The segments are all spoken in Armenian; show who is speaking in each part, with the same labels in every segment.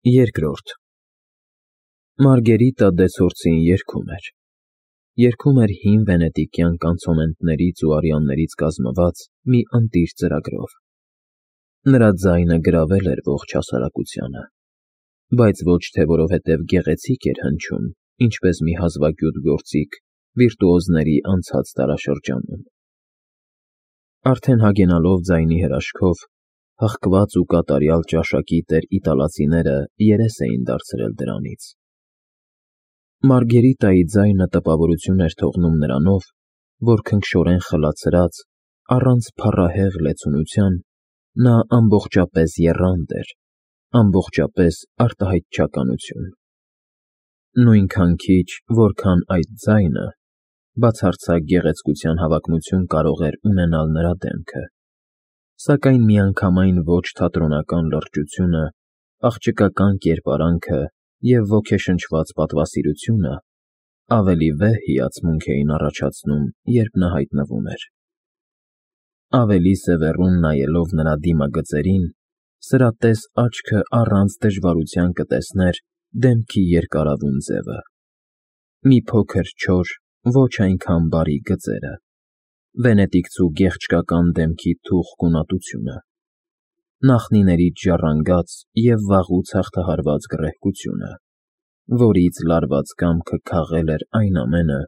Speaker 1: Երկրորդ Մարգերիտա դեցորցին երգում էր հին վենետիկյան կանցոնետներից ու արիաներից կազմված մի ընտիր ծրագրով. նրա ձայնը գրավել էր ողջ հասարակությանը, բայց ոչ թե որովհետև գեղեցիկ էր հնչում, ինչպես մի հազվագյուտ գործիք վիրտուոզների անցած դարաշրջանում. Արդեն հագենալով ձայնի հրաշքով, հղկված ու կատարյալ ճաշակի տեր իտալացիները երես էին դարձրել դրանից։ Մարգերիտայի ձայնը տպավորություն էր թողնում նրանով, որ քնքշորեն խլացրած, առանց փառահեղ լեցունության, նա ամբողջապես եռանդ էր, ամբողջապես արտահայտչականություն։ Նույնքան քիչ, որքան այդ ձայնը, բացարձակ գեղեցկության հավակնություն կարող էր ունենալ նրա դեմքը, սակայն միանգամայն ոչ թատրոնական լրջությունը, աղջկական կերպարանքը և ոգեշնչված պատվասիրությունը ավելի վեհ հիացմունք էին առաջացնում, երբ նա հայտնվում էր։ Ավելի սևեռուն նայելով նրա դիմագծերին, սրատես աչքը առանց դժվարության կտեսներ դեմքի երկարավուն ձևը, մի փոքր չոր, ոչ այնքան բարի գծերը, վենետիկցու գեղեցկական դեմքի թուխ գունատությունը, նախնիներից ժառանգած և վաղուց հաղթահարված գռեհկությունը, որից լարված կամքը քաղել էր այն ամենը,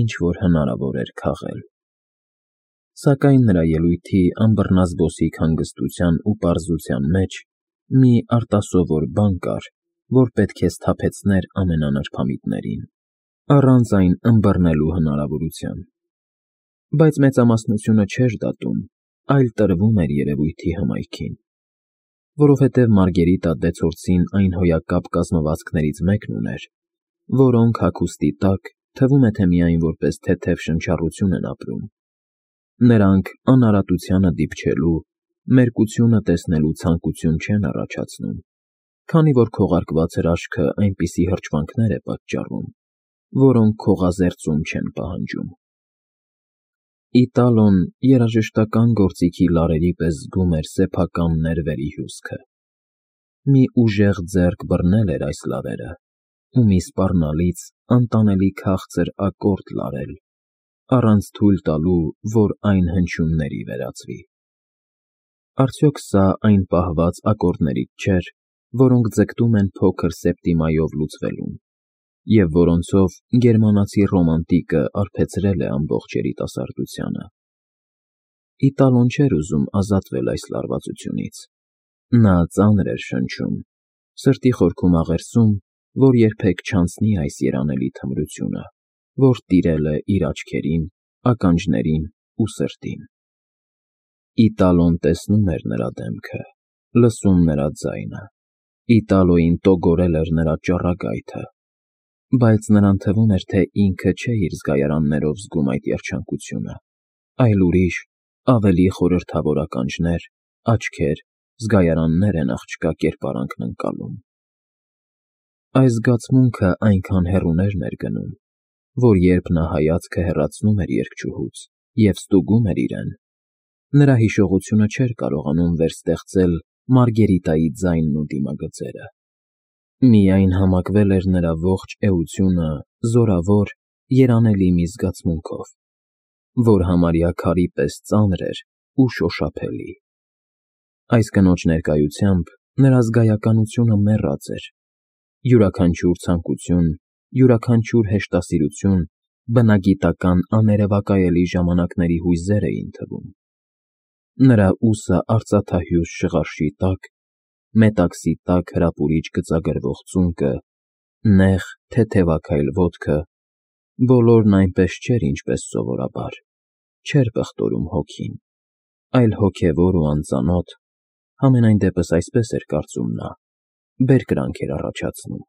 Speaker 1: ինչ որ հնարավոր էր քաղել։ Սակայն նրա ելույթի անբռնազբոսիկ հանգստության ու պարզության մեջ մի արտասովոր բան կար, որ պետք է սթափեցներ ամենանրբամիտներին, առանց այն ըմբռնելու հնարավորության։ Բայց մեծամասնությունը չէր դատում, այլ տրվում էր երևույթի հմայքին, որովհետև Մարգերիտա դեցորցին այն հոյակապ կազմվածքներից մեկն ուներ, որոնք հագուստի տակ թվում է թե միայն որպես թեթև շնչառություն են ապրում։ Նրանք անարատությանը դիպչելու, մերկությունը տեսնելու ցանկություն չեն առաջացնում, քանի որ քողարկված հրաշքը այնպիսի հրճվանքներ է պատճառում, որոնք քողազերծում չեն պահանջում։ Իտալոն երաժշտական գործիքի լարերի պես զգում էր սեփական ներվերի հյուսքը։ Մի ուժեղ ձեռք բռնել էր այս լարերը ու մի սպառնալից, անտանելի քաղցր ակորդ լարել, առանց թույլ տալու, որ այն հնչյունների վերածվի։ Արդյոք սա այն պահված ակորդներից չէր, որոնք ձգտում են փոքր սեպտիմայով լուծվելուն, և որոնցով գերմանացի ռոմանտիկը արբեցրել է ամբողջ երիտասարդությանը։ Իտալոն չէր ուզում ազատվել այս լարվածությունից։ Նա ծանր էր շնչում, սրտի խորքում աղերսում, որ երբեք չանցնի այս երանելի թմրությունը, որ տիրել է իր աչքերին, ականջներին ու սրտին։ Իտալոն տեսնում էր նրա դեմքը, լսում նրա ձայնը, Իտալոյին տոգորել էր նրա ճառագայթը, բայց նրան թվում էր, թե ինքը չէ իր զգայարաններով զգում այդ երջանկությունը, այլ ուրիշ, ավելի խորհրդավոր ականջներ, աչքեր, զգայարաններ են աղջկա կերպարանքն ընկալում։ Այս զգացմունքը այնքան հեռուն էր ներգնում, որ երբ նա հայացքը հեռացնում էր երգչուհուց և ստուգում էր իրեն, նրա հիշողությունը չէր կարողանում վերստեղծել Մարգերիտայի ձայնն ու դիմագծերը։ Միայն համակվել էր նրա ողջ էությունը զորավոր, երանելի մի զգացմունքով, որ համարյա քարի պես ծանր էր ու շոշափելի։ Այս կնոջ ներկայությամբ նրա զգայականությունը մեռած էր, յուրաքանչյուր ցանկություն, յուրաքանչյուր հեշտասիրություն բնագիտական աներևակայելի ժամանակների հույզեր էին թվում։ Նրա ուսը արծաթահյուս շղարշի տակ, մետաքսի տակ հրապուրիչ գծագրվող ծունկը, նեղ, թեթևաքայլ ոտքը, բոլորն այնպես չէր, ինչպես սովորաբար, չէր պղտորում հոգին, այլ հոգևոր ու անծանոթ, համենայն դեպս այսպես էր կարծում նա, բերկրանք էր առաջացնում։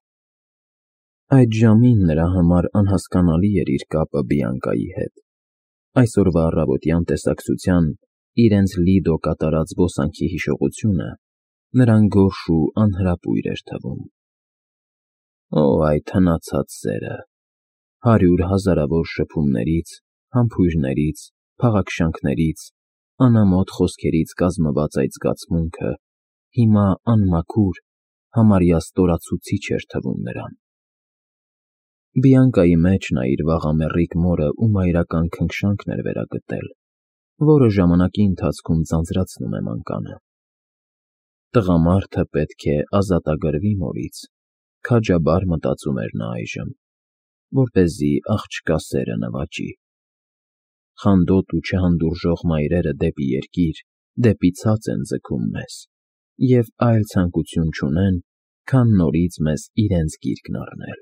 Speaker 1: Այդ ժամին նրա համար անհասկանալի էր իր կապը Բիանկայի հետ, այսօրվա առավոտյան տեսակցության իրենց Լիդո կատարած զբոսանքի հիշողությունը նրան գորշ ու անհրապույր էր թվում։ Օ, այդ հնացած սերը, 100 հազարավոր շփումներից, համբույրներից, փաղաքշանքներից, անամոթ խոսքերից կազմված այդ զգացմունքը հիմա անմաքուր, համարյա ստորացուցիչ էր թվում նրան։ Բիանկայի մեջ նա իր վաղամեռիկ մորը ու մայրական քնքշանքն էր վերագտել, որը ժամանակի ընթացքում ձանձրացնում է մանկանը։ Տղամարդը պետք է ազատագրվի մորից, քաջաբար մտածում էր նա այժմ, որպեսզի աղջկա սերը նվաճի։ Խանդոտ ու չհանդուրժող մայրերը դեպի երկիր, դեպի ցած են ձգում մեզ, և այլ ցանկություն չունեն, քան նորից մեզ իրենց գիրկն առնել։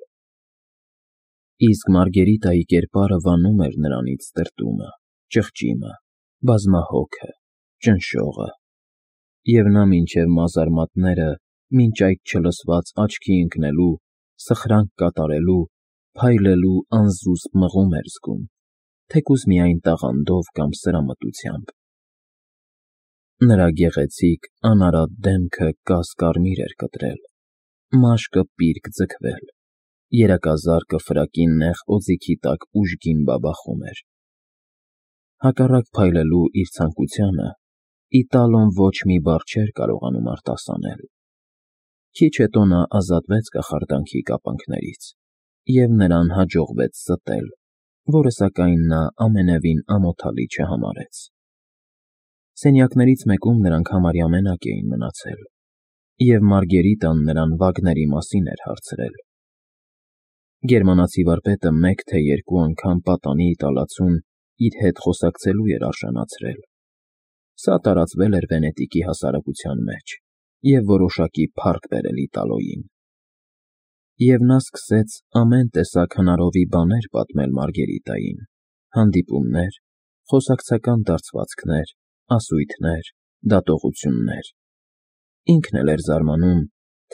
Speaker 1: Իսկ Մարգերիտայի կերպարը վանում էր նրանից տրտումը, ճղճիմը, բազմահոգը, ճնշողը, և նա մինչև մազարմատները, մինչ այդ չլսված աչքի ընկնելու, սխրանք կատարելու, փայլելու անզուսպ մղում էր զգում, թեկուզ միայն տաղանդով կամ սրամտությամբ։ Նրա գեղեցիկ, անարատ դեմքը կաս֊կարմիր էր կտրել, մաշկը պիրկ ձգվել, երակազարկը ֆրակի նեղ օձիքի տակ ուժգին բաբախում էր։ Հակառակ փայլելու իր ցանկությանը, Իտալոն ոչ մի բառ չէր կարողանում արտասանել։ Քիչ հետո նա ազատվեց կախարդանքի կապանքներից, և նրան հաջողվեց ստել, որը սակայն նա ամենևին ամոթալի չհամարեց։ Սենյակներից մեկում նրանք համարյա մենակ էին մնացել, և Մարգերիտան նրան վագների մասին էր հարցրել։ Գերմանացի վարպետը մեկ թե երկու անգամ պատանի իտալացուն իր հետ խոսակցելու էր արժանացրել։ Սա տարածվել էր Վենետիկի հասարակության մեջ և որոշակի փառք բերել Իտալոյին։ Եվ նա սկսեց ամեն տեսակ հնարովի բաներ պատմել Մարգերիտային. հանդիպումներ, խոսակցական դարձվածքներ, ասույթներ, դատողություններ։ Ինքն էլ էր զարմանում,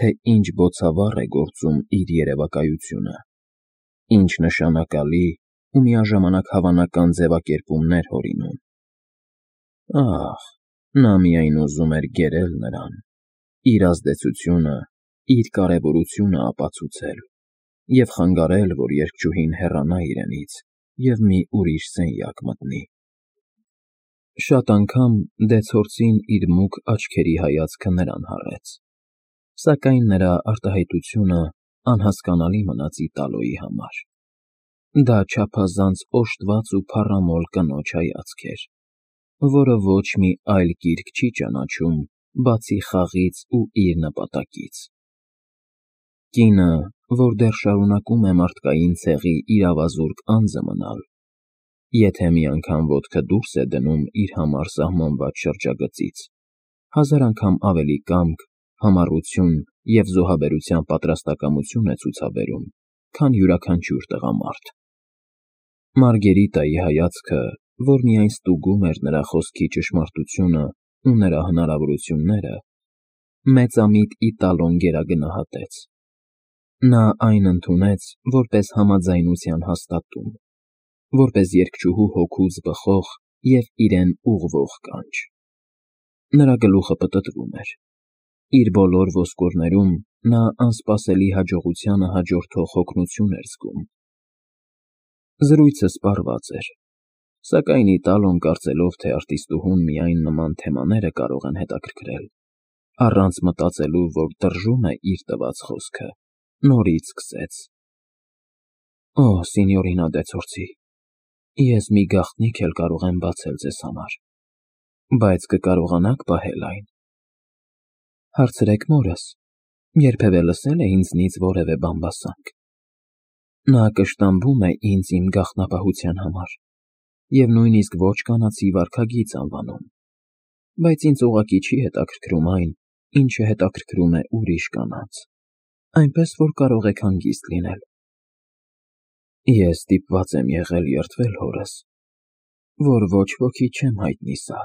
Speaker 1: թե ինչ բոցավառ է գործում իր երևակայությունը, ինչ նշանակալի ու միաժամանակ հավանական ձևակերպումներ հորինում։ Ահ, նա միայն ուզում էր գերել նրան, իր ազդեցությունը, իր կարևորությունը ապացուցել և խանգարել, որ երգչուհին հեռանա իրենից և մի ուրիշ սենյակ մտնի։ Շատ անգամ դեցորցին իր մուգ աչքերի հայացքը նրան հառեց, սակայն նրա արտահայտությունը անհասկանալի մնաց Իտալոյի համար։ Դա չափազանց օժտված ու փառամոլ կնոջ հայացք էր, որը ոչ մի այլ գիրք չի ճանաչում, բացի խաղից ու իր նպատակից։ Կինը, որ դեռ շարունակում է մարդկային ցեղի իրավազուրկ անձը մնալ, եթե մի անգամ ոտքը դուրս է դնում իր համար սահմանված շրջագծից, հազար անգամ ավելի կամք, համառություն և զոհաբերության պատրաստակամություն է ցուցաբերում, քան յուրաքանչյուր տղամարդ։ Մարգերիտայի հայացքը, որ միայն ստուգում էր նրա խոսքի ճշմարտությունը ու նրա հնարավորությունները, մեծամիտ Իտալոն գերագնահատեց։ Նա այն ընդունեց որպես համաձայնության հաստատում, որպես երգչուհու հոգուց բխող և իրեն ուղղվող կանչ։ Նրա գլուխը պտտվում էր։ Իր բոլոր ոսկորներում նա անսպասելի հաջողությանը հաջորդող հոգնություն էր զգում։ Զրույցը սպառված էր, սակայն Իտալոն, կարծելով, թե արտիստուհուն միայն նման թեմաները կարող են հետաքրքրել, առանց մտածելու, որ տրժում է իր տված խոսքը, նորից սկսեց. Օ, սինյորինա դեցորցի, ես մի գաղտնիք էլ կարող եմ բացել ձեզ համար, բայց կկարողանա՞ք պահել այն։ Հարցրեք մորս, երբևէ լսել է ինձնից որևէ բամբասանք։ Նա կշտամբում է ինձ իմ գաղտնապահության համար և նույնիսկ ոչ կանացի վարքագիծ անվանում, բայց ինձ ուղղակի չի հետաքրքրում այն, ինչը հետաքրքրում է ուրիշ կանանց, այնպես որ կարող եք հանգիստ լինել։ Ես ստիպված եմ եղել երդվել հորս, որ ոչ ոքի չեմ հայտնի սա։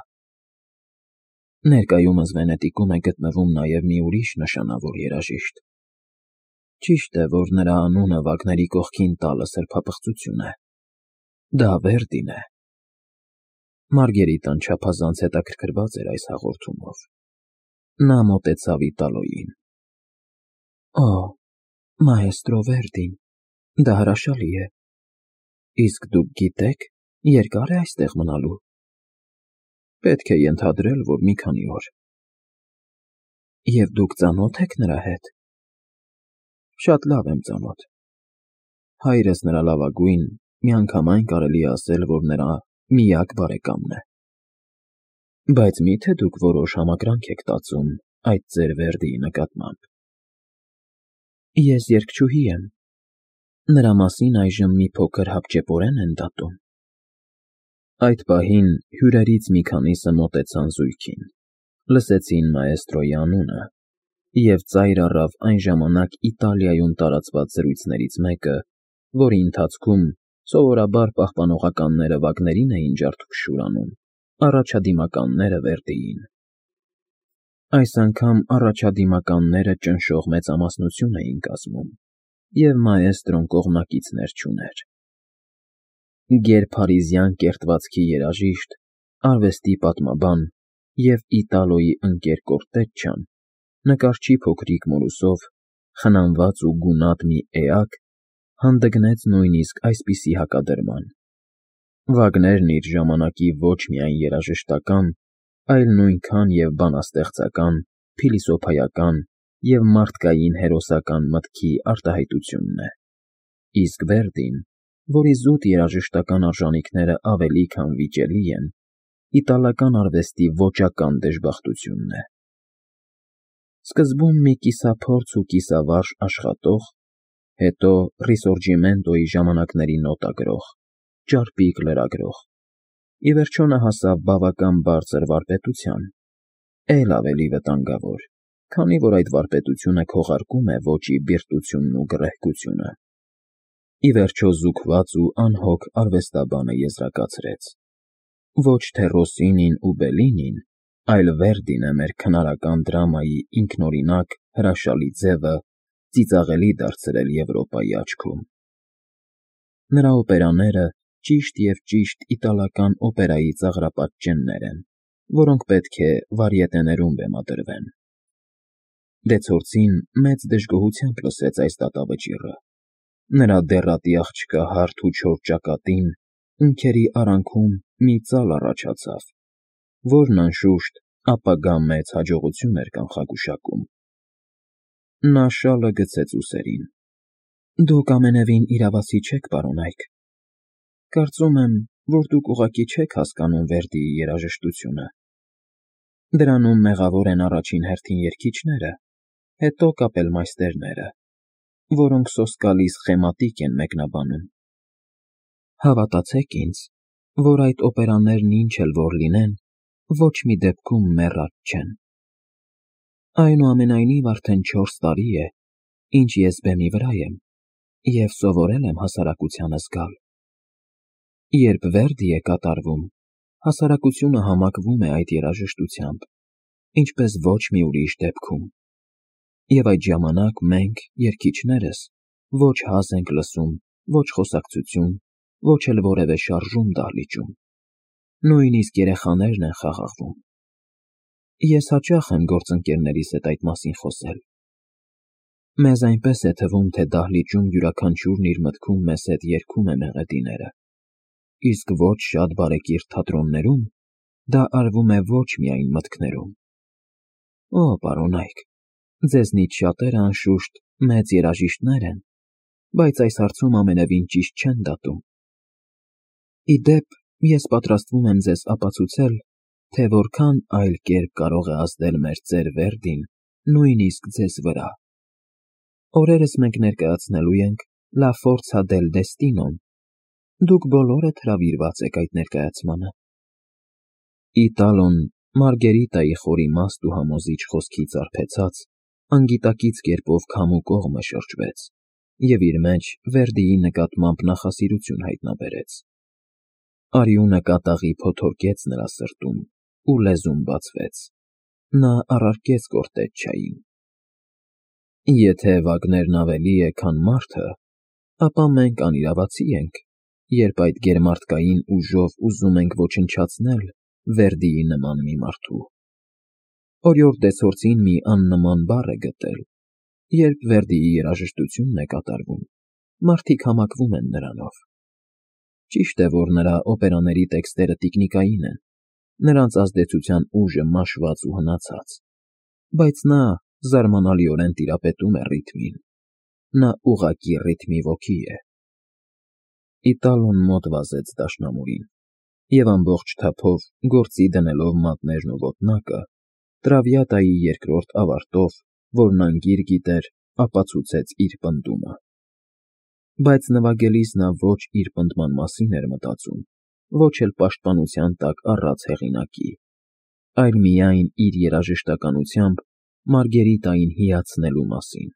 Speaker 1: Ներկայումս Վենետիկում է գտնվում նաև մի ուրիշ նշանավոր երաժիշտ։ Ճիշտ է, որ նրա անունը վագների կողքին տալը սրբապղծություն է։ Դա Վերդին է։ Մարգերիտան չափազանց հետաքրքրված էր այս հաղորդումով։ Նա մոտեցավ Իտալոյին։ Օ, մաեստրո Վերդին, դա հրաշալի է։ Իսկ դուք գիտեք, երկա՞ր է այստեղ մնալու։ Պետք է ենթադրել, որ մի քանի օր։ Եվ դուք ծանո՞թ եք նրա հետ։ Շատ լավ եմ ծանոթ։ Հայրս նրա լավագույն, միանգամայն կարելի է ասել, որ նրա միակ բարեկամն է։ Բայց մի՞թե դուք որոշ համակրանք եք տածում այդ ձեր Վերդիի նկատմամբ։ Ես երգչուհի եմ։ Նրա մասին այժմ մի փոքր հապճեպորեն են դատում։ Այդ պահին հյուրերից մի քանիսը մոտեցան զույգին, լսեցին մաեստրոյի անունը, և ծայր առավ այն ժամանակ Իտալիայում տարածված զրույցներից մեկը, որի ընթացքում սովորաբար պահպանողականները Վագներին էին ջարդուփշուր անում, առաջադիմականները Վերդիին։ Այս անգամ առաջադիմականները ճնշող մեծամասնություն էին կազմում, և մաեստրոն կողմնակիցներ չուներ։ Գերփարիզյան կերտվածքի երաժիշտ, արվեստի պատմաբան և Իտալոյի ընկեր կորտեջչան, նկարչի փոքրիկ մորուսով, խնամված ու գունատ մի էակ, հանդգնեց նույնիսկ այսպիսի հակադրման. Վագներն իր ժամանակի ոչ միայն երաժշտական, այլ նույնքան և բանաստեղծական, փիլիսոփայական և մարդկային հերոսական մտքի արտահայտությունն է, իսկ Վերդին, որի զուտ երաժշտական արժանիքները ավելի քան վիճելի են, իտալական արվեստի ոճական դժբախտությունն է։ Սկզբում մի կիսափորձ ու կիսավարժ աշխատող, հետո Ռիսորջիմենտոյի ժամանակների նոտագրող, ճարպիկ լրագրող, ի վերջո նա հասավ բավական բարձր վարպետության, էլ ավելի վտանգավոր, քանի որ այդ վարպետությունը քողարկում է ոճի բիրտությունն ու գռեհկությունը։ Ի վերջո զուգված ու անհոգ արվեստաբանը եզրակացրեց. ոչ թե Ռոսինին ու Բելլինին, այլ Վերդին է մեր քնարական դրամայի ինքնօրինակ հրաշալի ձևը ծիծաղելի դարձրել Եվրոպայի աչքում։ Նրա օպերաները ճիշտ և ճիշտ իտալական օպերայի ծաղրապատճեններ են, որոնք պետք է վարիետեներում բեմադրվեն։ Դեցորցին մեծ դժգոհությամբ լսեց այս դատավճիռը։ Նրա դեռատի աղջկա հարթ ու չոր ճակատին ունքերի արանքում մի ծալ առաջացավ, որն, անշուշտ, ապագա մեծ հաջողություն էր կանխագուշակում։ Նա շալը գցեց ուսերին։ Դուք ամենևին իրավացի չեք, պարոն Այք։ Կարծում եմ, որ դուք ուղղակի չեք հասկանում Վերդիի երաժշտությունը։ Դրանում մեղավոր են առաջին հերթին երգիչները, հետո կապելմայստերները, որոնք սոսկալի սխեմատիկ են մեկնաբանում։ Հավատացեք ինձ, որ այդ օպերաներն ինչ էլ որ լինեն, ոչ մի դեպքում մեռած չեն։ Այնուամենայնիվ արդեն 4 տարի է, ինչ ես բեմի վրա եմ, և սովորել եմ հասարակությանը զգալ։ Երբ Վերդի է կատարվում, հասարակությունը համակվում է այդ երաժշտությամբ, ինչպես ոչ մի ուրիշ դեպքում։ Եվ այդ ժամանակ մենք, երգիչներս, ոչ հազ ենք լսում, ոչ խոսակցություն, ոչ էլ որևէ շարժում դահլիճում։ Նույնիսկ երեխաներն են խաղաղվում։ Ես հաճախ եմ գործընկերներիս հետ այդ մասին խոսել։ Մեզ այնպես է թվում, թե դահլիճում յուրաքանչյուրն իր մտքում մեզ հետ երգում է մեղեդիները, իսկ ոչ շատ բարեկիրթ թատրոններում դա արվում է ոչ միայն մտքներում։ Օ, պարոն Այք, ձեզնից շատերը, անշուշտ, մեծ երաժիշտներ են, բայց այս հարցում ամենևին ճիշտ չեն դատում։ Ի դեպ, ես պատրաստվում եմ ձեզ ապացուցել, թե որքան այլ կերպ կարող է ազդել մեր ծեր Վերդին նույնիսկ ձեզ վրա։ Օրերս մենք ներկայացնելու ենք «La Forza del Destino»-ն։ Դուք բոլորդ հրավիրված եք այդ ներկայացմանը։ Իտալոն, Մարգերիտայի խորիմաստ ու համոզիչ խոսքից արբեցած, անգիտակից կերպով քամու կողմը շրջվեց և իր մեջ Վերդիի նկատմամբ նախասիրություն հայտնաբերեց։ Արյունը կատաղի փոթորկեց նրա սրտում ու լեզուն բացվեց։ Նա առարկեց կորտեջչային. Եթե Վագներն ավելի է, քան մարդը, ապա մենք անիրավացի ենք, երբ այդ գերմարդկային ուժով ուզում ենք ոչնչացնել Վերդիի նման մի մարդու։ Օրիորդ Դեցորցին մի աննման բառ է գտել. երբ Վերդիի երաժշտությունն է կատարվում, մարդիկ համակվում են նրանով։ Ճիշտ է, որ նրա օպերաների տեքստերը տիկնիկային են, նրանց ազդեցության ուժը մաշված ու հնացած, բայց նա զարմանալիորեն տիրապետում է ռիթմին։ նա ուղղակի ռիթմի ոգի է։ Իտալոն մոտ վազեց դաշնամուրին և ամբողջ թափով գործի դնելով մատներն ու ոտնակը, Տրավիատայի երկրորդ ավարտով, որն անգիր գիտեր, ապացուցեց իր պնդումը։ Բայց նվագելիս նա ոչ իր պնդման մասին էր մտածում, ոչ էլ պաշտպանության տակ առած հեղինակի, այլ միայն իր երաժշտականությամբ Մարգերիտային հիացնելու մասին։